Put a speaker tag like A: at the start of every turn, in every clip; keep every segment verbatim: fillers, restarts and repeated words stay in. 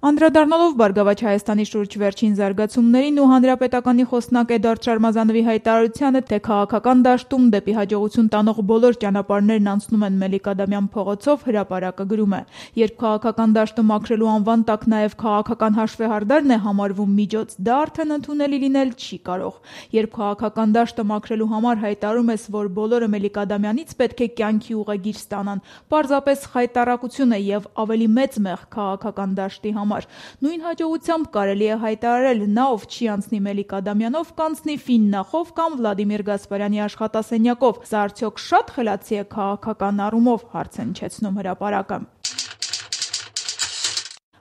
A: Անդրադառնալով Բարգավաճ Հայաստանի շուրջ վերջին զարգացումներին ու հանրապետականի խոսնակ Էդուարդ Շարմազանովի հայտարարությանը, թե քաղաքական դաշտում դեպի հաջողություն տանող բոլոր ճանապարհներն անցնում են Մելիք-Ադամյան փողոցով, հրապարակը գրում է. երբ քաղաքական դաշտը մաքրելու անվան տակ նաև քաղաքական հաշվեհարդարն է համարվում միջոց, դա արդեն ընդունելի լինել չի կարող։ Երբ քաղաքական դաշտը մաքրելու համար հայտարարում ես, որ բոլորը Մելիք-Ադամյանից պետք է կյանքի ուղեգիր ստանան, պարզապես խայտառակություն է եւ ավելի մեծ մեղք քաղաքական դաշտի համար։ Նույն հաջողությամբ կարելի է հայտարարել, նա ով չի անցնի Մելիք-Ադամյանով, կանցնի Ֆիննախով կամ Վլադիմիր Գասպարյանի աշխատասենյակով։ Սա արդյոք շատ խելացի է քաղաքական առումով, հարց է հնչեցնում հրապարակը։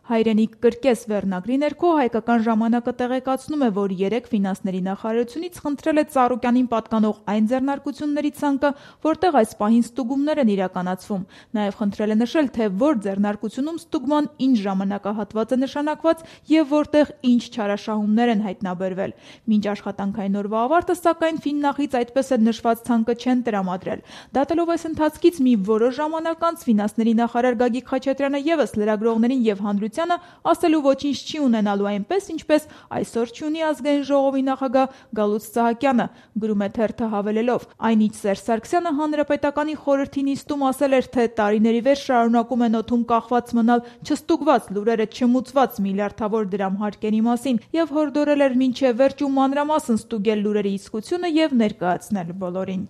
A: Հայրենիք կրկես վերնագրի ներքո հայկական ժամանակը տեղեկացնում է, որ երեկ ֆինանսների նախարարությունից խնդրել է Ծառուկյանին պատկանող այն ձեռնարկությունների ցանկը, որտեղ այս պահին ստուգումներ են իրականացվում։ Նաև խնդրել է նշել, թե որ ձեռնարկությունում ստուգման ինչ ժամանակահատված է նշանակված եւ որտեղ ինչ չարաշահումներ են հայտնաբերվել։ Մինչ աշխատանքային օրվա ավարտը, սակայն Ֆիննախից այդպես էլ նշված ցանկը չեն տրամադրել։ Դատելով այս ընթացքից մի որոշ ժամանակ անց ֆինանսների նախարար Գագիկ Խաչատրյանը եւս լրագրողներին եւ հանրության ասելու ոչինչ չի ունենալու, այնպես ինչպես այսօր չունի ազգային ժողովի նախագահ Գալուստ Սահակյանը, գրում է թերթը հավելելով. այն ինչ Սերժ Սարգսյանը հանրապետականի խորհրդի նիստում ասել էր, թե տարիների վեր շարունակում են օդում կախված մնալ չստուգված լուրերը չմուծված միլիարդավոր դրամ հարկերի մասին եւ հորդորել էր մինչեւ վերջ ու մանրամասն ստուգել լուրերի իսկությունը եւ ներկայացնել բոլորին։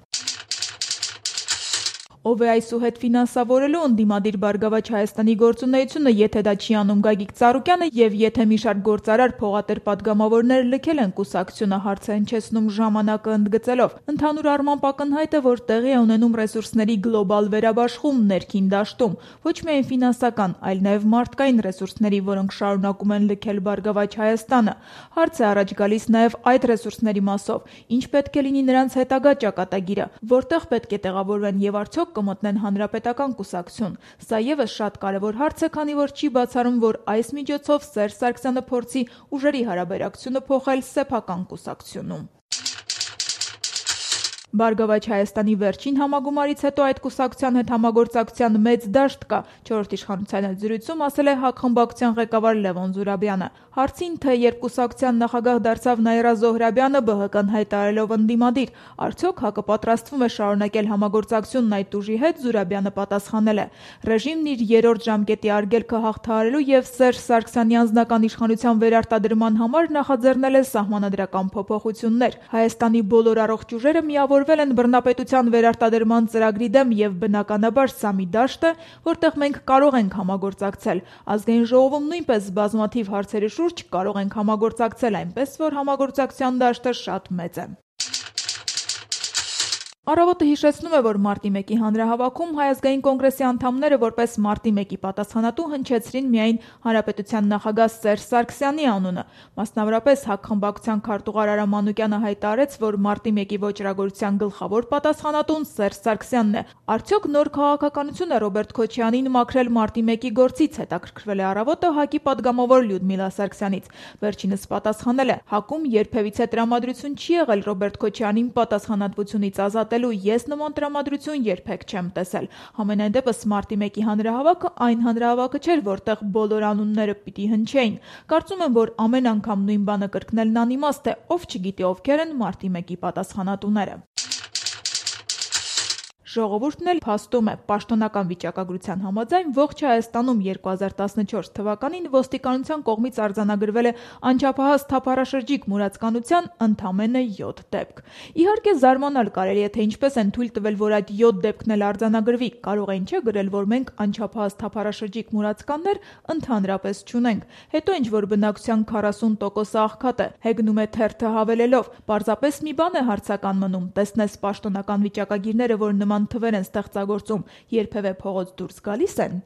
A: Ով է այսուհետ ֆինանսավորելու ընդդիմադիր Բարգավաճ Հայաստանի գործունեությունը, եթե դա չի անում Գագիկ Ծառուկյանը եւ եթե մի շարք գործարար փողատեր պատգամավորներ լքել են կուսակցությունը, հարց է հնչեցնում ժամանակը ընդգծելով։ Ընդհանուր առմամբ ակնհայտ է, որ տեղի է ունենում ռեսուրսների գլոբալ վերաբաշխում ներքին դաշտում, ոչ միայն ֆինանսական, այլ նաեւ մարդկային ռեսուրսների, որոնք շարունակում են լքել Բարգավաճ Հայաստանը։ Հարց է առաջ գալիս նաեւ այդ ռեսուրսների մասով, ինչ պետք է լինի նրանց հետագա ճակատագիրը, որտեղ պետք է տեղավորվեն եւ արդյոք կմտնեն հանրապետական կուսակցություն։ Սա եւս շատ կարևոր հարց է, քանի որ չի բացառում, որ այս միջոցով Սերժ Սարգսյանը փորձի ուժերի հարաբերակցությունը փոխել սեփական կուսակցությունում։ Բարգավաճ Հայաստանի վերջին համագումարից հետո այդ կուսակցության հետ համագործակցության մեծ դաշտ կա, չորրորդ իշխանության հետ զրույցում ասել է ՀԱԿ խմբակցության ղեկավար Լևոն Զուրաբյանը։ Հարցին, թե երբ կուսակցության նախագահ դարձավ Նաիրա Զոհրաբյանը, ԲՀԿ-ն հայտարարելով ընդդիմադիր, արդյոք ՀԱԿ-ը պատրաստվում է շարունակել համագործակցությունն այդ ուժի հետ, Զուրաբյանը պատասխանել է. ռեժիմն իր երրորդ ժամկետի արգելքը հաղթահարելու եւ Սերժ Սարգսյանի անձնական իշխանության վերարտադրման համար նախաձեռնել է սահմանադրական փոփոխություններ։ Հայաստանի բոլոր առողջ ուժերը միավորվել են բռնապետության վերարտադրման ծրագրի դեմ եւ բնականաբար սա մի դաշտ է, որտեղ մենք կարող ենք համագործակցել։ Ազգային ժողովում նույնպես բազմաթիվ հարցերի շուրջ կարող ենք համագործակցել, այնպես որ համագործակցության դաշտը շատ մեծ է։ Առավոտը հիշեցնում է, որ մարտի մեկի հանրահավաքում Հայ ազգային կոնգրեսի անդամները որպես մարտի մեկի պատասխանատու հնչեցրին միայն հանրապետության նախագահ Սերժ Սարգսյանի անունը։ Մասնավորապես ՀԱԿ խմբակցության քարտուղար Արա Մանուկյանը հայտարարեց, որ մարտի մեկի ոճրագործության գլխավոր պատասխանատուն Սերժ Սարգսյանն է։ Արդյոք նոր քաղաքականություն է Ռոբերտ Քոչարյանին մաքրել մարտի մեկի գործից, հետաքրքրվել է Առավոտը ՀԱԿ-ի падգամավոր Լյուդմիլա Սարգսյանից։ Վերջինս պատասխանել է. ՀԱԿ-ում երբևիցե տրամադրություն չի եղել Ռոբերտ Քոչարյանին պատասխանատվությունից ազատել ես նման տրամադրություն երբեք չեմ տեսել։ Համենայն դեպս մարտի մեկի հանրահավաքը այն հանրահավաքը չէր, որտեղ բոլոր անունները պիտի հնչեին։ Կարծում եմ, որ ամեն անգամ նույն բանը կրկնելն անիմաստ է, ով չգիտի ովքեր են մարտի մեկի պատասխանատուները։ Ժողովուրդն էլ փաստում է, պաշտոնական վիճակագրության համաձայն ողջ Հայաստանում երկու հազար տասնչորս թվականին ոստիկանության կողմից արձանագրվել է անչափահաս թափառաշրջիկ մուրացկանության ընդամենը յոթ դեպք։ Իհարկե զարմանալ կարելի է, թե ինչպես են թույլ տվել, որ այդ յոթ դեպքն էլ արձանագրվի։ Կարող էին չէ գրել, որ մենք անչափահաս թափառաշրջիկ մուրացկաններ ընդհանրապես չունենք։ Հետո ինչ որ բնակչության քառասուն տոկոսը աղքատ է, հեգնում է թերթը հավելելով. պարզապես մի բան է հարցական մնում, տեսնես պաշտոնական վիճակագիրները, որ նման թվեր են ստեղծագործում, երբևէ փողոց դուրս գալիս են։